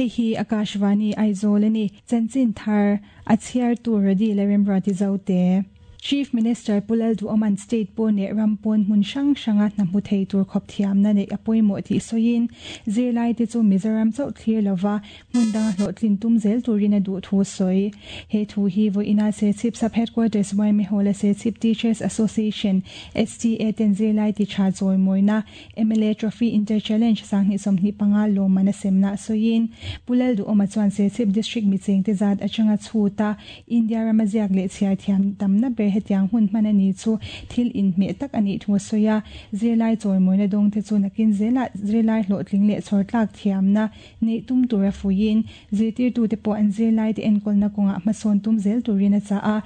Hei hi Akashvani Aizawl a ni. Chanchin thar a chhiartu Rody Lalremruati Zote. Chief Minister Pu Lalduhoma'n state pawn leh ram pawn hmun hrang hranga hna hmu thei tur khawp thiamna neih a pawimawh tih sawiin zirlaite chu Mizoram chauh thlir lova hmun danga hlawhtlin tum zel turin a duh thu a sawi. He thu hi vawiina Serchhip Sub Headquarters yma Hall-a Serchhip Teachers Association, STA, ten zirlai ti tha chawimawina mla Trophy Inter Challenge 2025 lawmman a semna sawiin Pu Lalduhoma chuan Serchhip District michengte zat atanga chhuta India rama ziak leh chhiar thiam tamna ber hetiang hun hman a ni chu thil inhmeh tak a nih thu a sawi a. Zirlai chawimawina dawngte chu nakin zelah zirlai hlawhtling leh chhawrtlak thiamna neih tum tura fuiin zirtirtute pawh an zirlaite enkawlna kawngah hmasawn tum zel turin a chah a.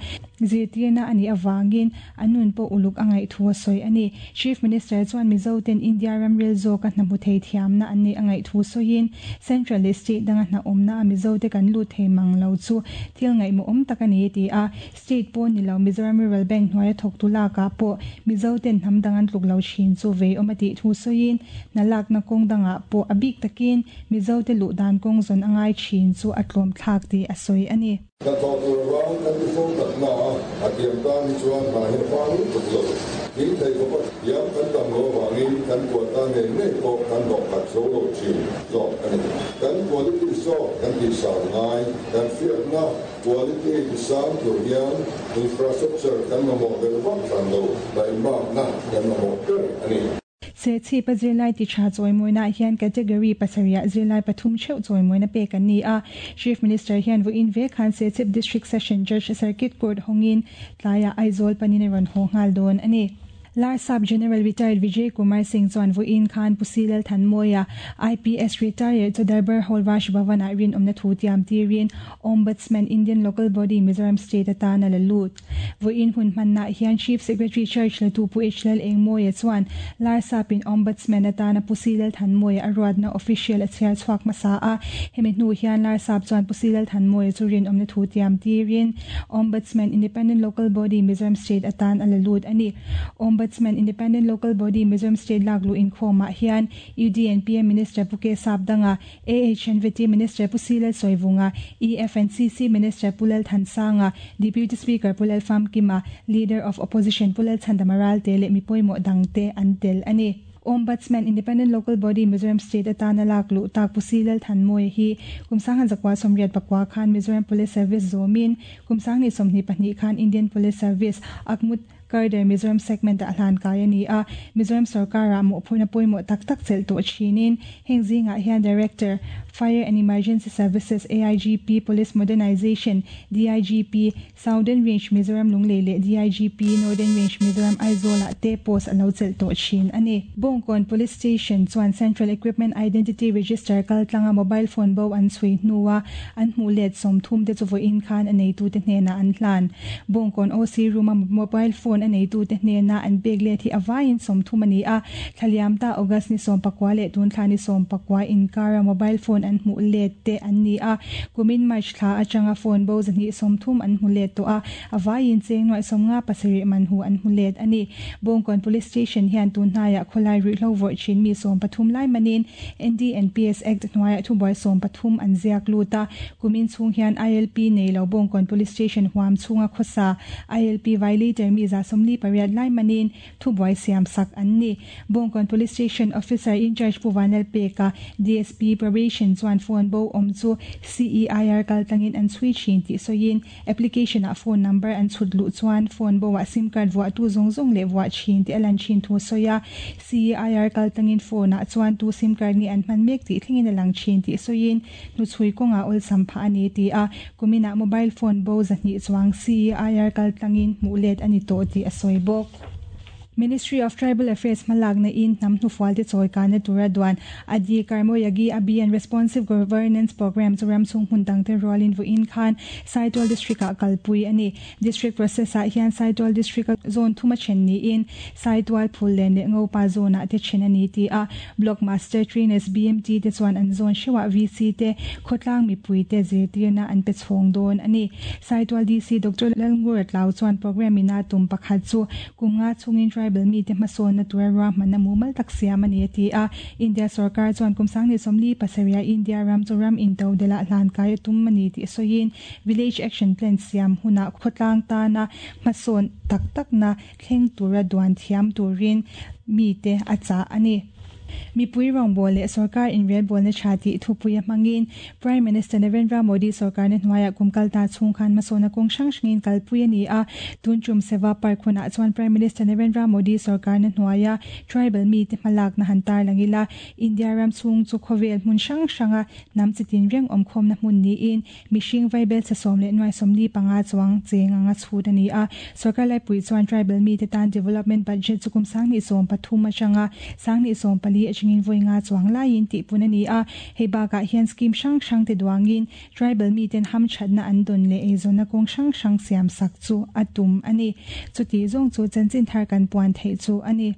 Zirtirna a nih avangin an nun pawh uluk a ngaih thu a sawi a ni. Chief Minister chuan Mizoten India ramril zawka hna hmu thei thiamna an neih a ngaih thu sawiin Central leh State danga hna awmna a Mizote kan lut thei mang lo chu thil ngaihmawhawm tak a ni ti a. State pawn ni lo Mizoram Rural Bank hnuaia thawktu lakah pawh Mizoten hnam dang an tluk lo thin chu vei awm a tih thu sawiin hna lakna kawng dangah pawh a bik takin Mizote luh dan kawng zawn a ngai thin chu a tlawm thlak tih a sawi a ni. Hnathawh tur vang kan ti fo tak na a, a tiam tan hi chuan hna hi a fang lutuk lo. Thing thei khawp a thiam kan tam lo avangin kan quota ngei ngei pawh kan hlawh khat zo lo thin zawk a ni. Kan quality zawk kan tihsang ngai, kan hriatna quality tisang tur hian infrastructure kan mamawh belh vak hran lo, taimakna kan mamawh ber a ni. Serchhip a zirlai ti tha chawimawina hian category pasarihah zirlai pathum theuh chawimawina pek an ni a. Chief Minister hian vawiin ve khan Serchhip District Session Judge Circuit Court hawngin tlaiah Aizawl panin a rawn haw nghal dawn a ni. Larsap General Retired Vijay Kumar Singh chuan vawiin khan Pu Si Lalthanmawia, IPS Retired chu Darbar Hall Raj Bhavan-ah rinawmna thu tiam tirin Ombudsman Indian Local Body Mizoram State atan a la lut. Vawiin hun hmannaah hian Chief Secretary Church latu Pu H Lal Engmawia chuan Larsapin Ombudsman atana Pu Si Lalthanmawia a ruatna official a chhiar chhuak hmasa a. Hemi hnu hian Larsap chuan Pu Si Lalthanmawia chu rinawmna thu tiam tirin Ombudsman Independent Local Body Mizoram State atan a la lut a ni. Ombudsman Independent Local Body Mizoram State lak luh inkhawmah hian UDNPM Minister Pu K Sapdanga, AHNVT Minister Pu Silal Sawivunga, EFNCC Minister Pu Lal Thansanga, Deputy Speaker Pu Lal Famkima, Leader of Opposition Pu Lal Chhandama Ralte leh mi pawimawh dangte an tel a ni. Ombudsman Independent Local Body Mizoram State atana lak luh tak Pu Silal Thanmawia hi kum 1984 khan Mizoram Police Service zawmin kum 2022 khan Indian Police Service Akmut Karder Mizoram Segment ah hlan kai a ni a, Mizoram sorkarah mawhphurhna pawimawh tak tak chelh tawh thinin heng zingah hian Director, Fire and Emergency Services, AIGP, Police Modernization, DIGP, Southern Range Mizoram Lunglei leh DIGP, Northern Range Mizoram Aizawl ah te post a lo chelh tawh thin a ni. Bawngkawn Police Station chuan Central Equipment Identity Register kaltlanga mobile phone bo an chhui hnua an hmuh let 30 te chu vawiin khan a neitute hnenah an hlan. Bawngkawn OC room a mobile phone a neitute hnena an pek let hi a vaiin 30 a ni a. Thlaliam ta August ni 19 leh tun thla ni 19 inkara mobile phone an hmuh let te an ni a. Kumin March thla atanga phone bo 230 an hmu let tawh a, a vaiin cheng nuaih 57 man hu an hmu let a ni. Bawngkawn Police Station hian tun hnaiah khawlai ruihhlo vawrh thin mi 13 lai manin NDNPS Act hnuaiah thubuai 13 an ziak lut a. Kumin chhung hian ILP nei lo Bawngkawn Police Station huam chhunga khawsa ILP violator mi 148 lai manin thubuai siam sak an ni. Bawngkawn Police Station Officer in Charge Pu Vanlal Peka, DSP Probation chuan phone bo awm chu CEIR kaltlangin an chhui thin tih sawiin application ah phone number an chhut luh chuan phone bo ah sim card vuah tu zawng zawng leh vuah thin tih a lan thin thu sawi a. CEIR kaltlangin phone ah chuan tu sim card nge an hman mek tih thlengin a lang thin tih sawiin hnuchhui kawngah awlsam phah a ni ti a. Kuminah mobile phone bo 200 chuang CEIR kaltlangin hmuh let a ni tawh tih a sawi bawk. Ministry of Tribal Affairs hmalakna in hnam hnufual te chawi kana tura duan Adi Karmoyagi Abhiyan Responsive Governance Program chu ram chhung hmun dang te rualin vawiin khan Saitual District ah kalpui a ni. District process ah hian Saitual District a zone thuma then niin Saitual Phullen leh Ngopa zone ah te then a ni ti a. Block Master Trainers BMT te chuan an zone hreuhah VC te khawtlang mipui te zirtirna an pe chhawng dawn a ni. Saitual DC Doctor Lalngur Tlau chuan program ina tum pakhat chu kum nga chungin tribal tribal mite hmasawnna tura ruahmanna mumal tak siam a ni a ti a. India sorkar chuan kum 2037 ah India ram chu ram intodelh ah hlan kai a tum a ni tih sawiin Village Action Plan siam hunah khawtlang tana hmasawn tak takna thleng tura duan thiam turin mite a chah a ni. Mipui rawngbâwl leh sorkar inrelbâwlna ṭha tih thupuia hmangin Prime Minister Narendra Modi sorkarna hnuaiah kum kal ta chhung khan hmasawnna kawng hrang hrangin kalpui a ni a. Tun tum Seva Park hunah chuan Prime Minister Narendra Modi sorkarna hnuaia tribal mite hmalakna han tarlang ila, India ram chhung chu khawvel hmun hrang hranga hnam chi tinreng awmkhawmna hmun niin Mihring vaibel chhe sawm leh nuai 45 chuang cheng anga chhut a ni a. Sorkar laipui chuan tribal mite tan development budget chu kum 2013 atanga 2014 atangin vawi nga chuang laiin tihpun a ni a. Hei bakah hian scheme hrang hrang te duangin tribal miten hamthatna an dawn leh eizawnna kawng hrang hrang siam sak chu a tum a ni. Chutih zawng chu chanchin thar kan puan theih chu a ni.